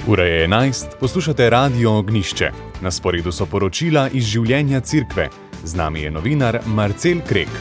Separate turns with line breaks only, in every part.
Ura je 11, poslušate Radio Ognjišče. Na sporedu so poročila iz življenja cerkve. Z nami je novinar Marcel Krek.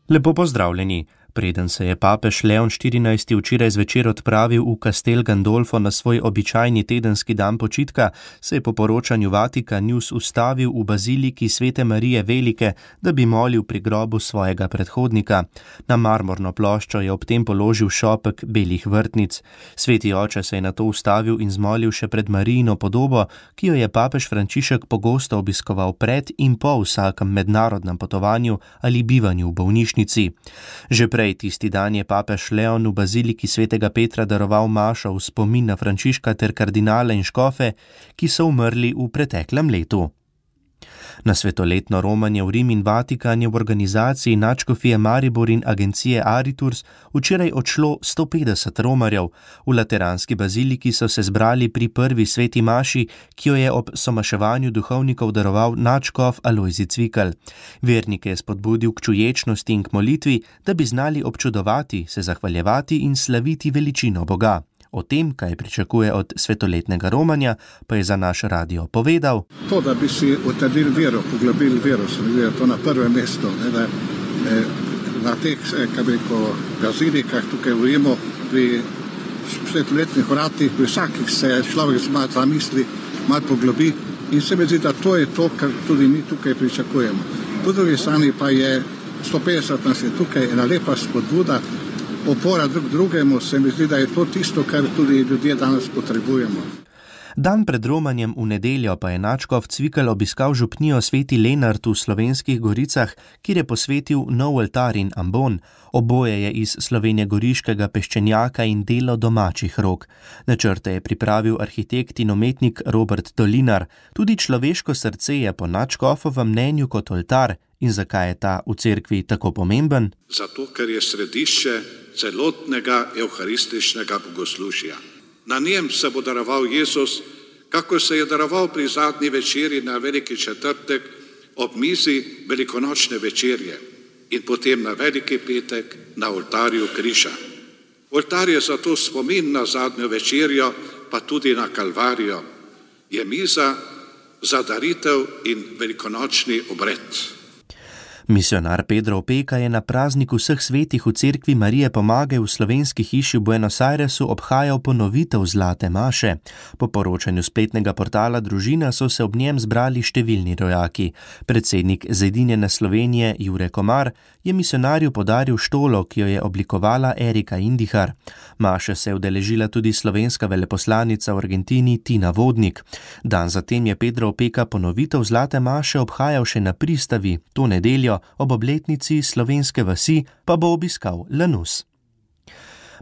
Lepo pozdravljeni. Preden se je papež Leon XIV. Včeraj zvečer odpravil v Castel Gandolfo na svoj običajni tedenski dan počitka, se je po poročanju Vatikan News ustavil v baziliki Svete Marije Velike, da bi molil pri grobu svojega predhodnika. Na marmorno ploščo je ob tem položil šopek belih vrtnic. Sveti oče se je nato ustavil in zmolil še pred Marijino podobo, ki jo je papež Frančišek pogosto obiskoval pred in po vsakem mednarodnem potovanju ali bivanju v bolnišnici. Že prej tisti dan je papež Leon v baziliki svetega Petra daroval mašo v spomin na Frančiška ter kardinale in škofe, ki so umrli v preteklem letu. Na svetoletno romanje v Rim in Vatikan je v organizaciji nadškofije Maribor in agencije Ariturs včeraj odšlo 150 romarjev. V lateranski baziliki so se zbrali pri prvi sveti maši, ki jo je ob somaševanju duhovnikov daroval nadškof Alojzij Cvikl. Vernike je spodbudil k čuječnosti in k molitvi, da bi znali občudovati, se zahvaljevati in slaviti veličino Boga. O tem, kaj pričakuje od svetoletnega romanja, pa je za naš radio povedal.
To, da bi si utrdili vero, poglobili vero, se mi zdi, to na prvem mestu, da na teh, bazilikah tukaj v Rimu, pri svetoletnih vratih, pri vsakih se človek malo zamisli, malo poglobi in se mi zdi, da to je to, kar tudi mi tukaj pričakujemo. Po drugi strani pa je 150 nas je tukaj ena lepa spodbuda, opora drugemu, se mi zdi, da je to tisto, kar tudi ljudje danes potrebujemo.
Dan pred romanjem v nedeljo pa je nadškof Cvikl obiskal župnijo Sveti Lenart v Slovenskih Goricah, kjer je posvetil nov oltar in ambon. Oboje je iz slovenjegoriškega peščenjaka in delo domačih rok. Načrte je pripravil arhitekt in umetnik Robert Dolinar. Tudi človeško srce je po nadškofovem mnenju kot oltar. In zakaj je ta v cerkvi tako pomemben?
Zato, ker je središče celotnega evharističnega bogoslužja. Na njem se bo daroval Jezus, kako se je daroval pri zadnji večerji na Veliki četrtek ob mizi velikonočne večerje in potem na Veliki petek na oltarju križa. Oltar je zato spomin na zadnjo večerjo, pa tudi na Kalvarijo. Je miza za daritev in velikonočni obred.
Misionar Pedro Opeka je na prazniku vseh svetih v cerkvi Marije Pomage v slovenski hiši v Buenos Airesu obhajal ponovitev zlate maše. Po poročanju spletnega portala Družina so se ob njem zbrali številni rojaki. Predsednik Zedinjene Slovenije Jure Komar je misionarju podaril štolo, ki jo je oblikovala Erika Indihar. Maše se je udeležila tudi slovenska veleposlanica v Argentini Tina Vodnik. Dan zatem je Pedro Opeka ponovitev zlate maše obhajal še na pristavi, to nedeljo. Ob obletnici slovenske vasi pa bo obiskal Lanus.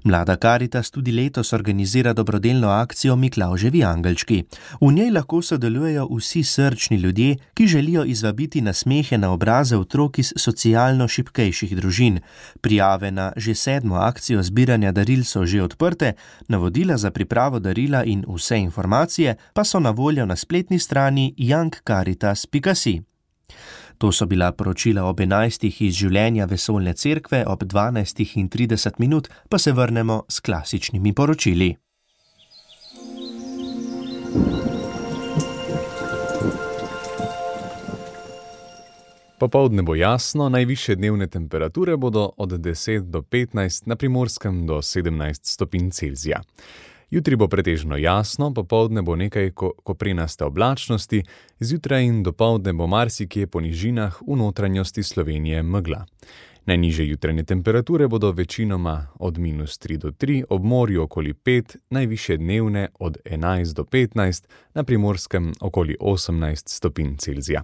Mlada Karitas tudi letos organizira dobrodelno akcijo Miklavževi angelčki. V njej lahko sodelujejo vsi srčni ljudje, ki želijo izvabiti nasmehe na obraze otrok iz socialno šibkejših družin. Prijave na že 7. akcijo zbiranja daril so že odprte, navodila za pripravo darila in vse informacije pa so na voljo na spletni strani youngcaritas.si. To so bila poročila ob 11. iz življenja vesoljne cerkve, ob 12:30 pa se vrnemo s klasičnimi poročili.
Popoldne bo jasno, najvišje dnevne temperature bodo od 10 do 15, na Primorskem do 17 stopinj Celzija. Jutri bo pretežno jasno, popoldne bo nekaj koprenaste oblačnosti, zjutraj in dopoldne bo marsikje po nižinah v notranjosti Slovenije megla. Najnižje jutranje temperature bodo večinoma od -3 do 3, ob morju okoli 5, najvišje dnevne od 11 do 15, na Primorskem okoli 18 stopinj Celzija.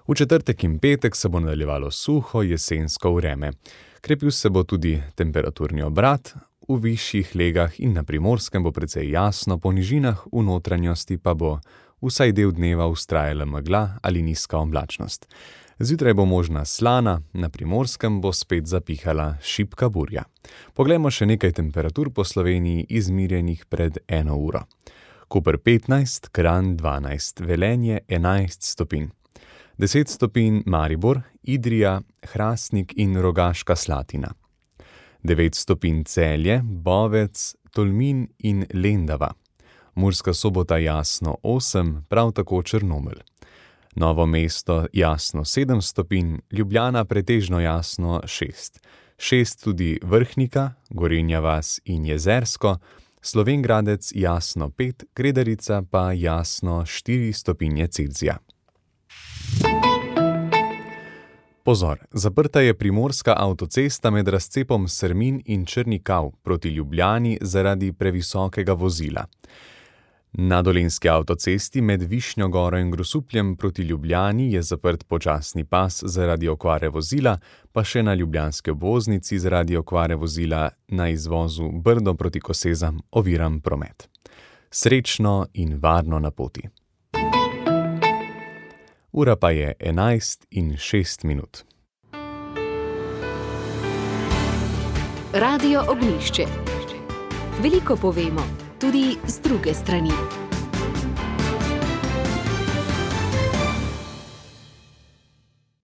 V četrtek in petek se bo nadaljevalo suho jesensko vreme. Krepil se bo tudi temperaturni obrat, v višjih legah in na Primorskem bo precej jasno, po nižinah v notranjosti pa bo vsaj del dneva vztrajala megla ali nizka oblačnost. Zjutraj bo možna slana, na Primorskem bo spet zapihala šibka burja. Poglejmo še nekaj temperatur po Sloveniji izmirjenih pred 1 uro. Koper 15, Kranj 12, Velenje 11 stopinj. 10 stopinj Maribor, Idrija, Hrastnik in Rogaška Slatina. 9 stopinj Celje, Bovec, Tolmin in Lendava. Murska Sobota jasno 8, prav tako Črnomelj. Novo mesto jasno 7 stopinj, Ljubljana pretežno jasno 6. 6 tudi Vrhnika, Gorenja vas in Jezersko, Slovenj Gradec jasno 5, Kredarica pa jasno 4 stopinje Celzija. Pozor, zaprta je primorska avtocesta med razcepom Srmin in Črni Kav proti Ljubljani zaradi previsokega vozila. Na dolenjski avtocesti med Višnjo Goro in Grosupljem proti Ljubljani je zaprt počasni pas zaradi okvare vozila, pa še na ljubljanski obvoznici zaradi okvare vozila na izvozu Brdo proti Kosezam oviran promet. Srečno in varno na poti. Ura pa je 11:06.
Radio Ognjišče. Veliko povemo, tudi z druge strani.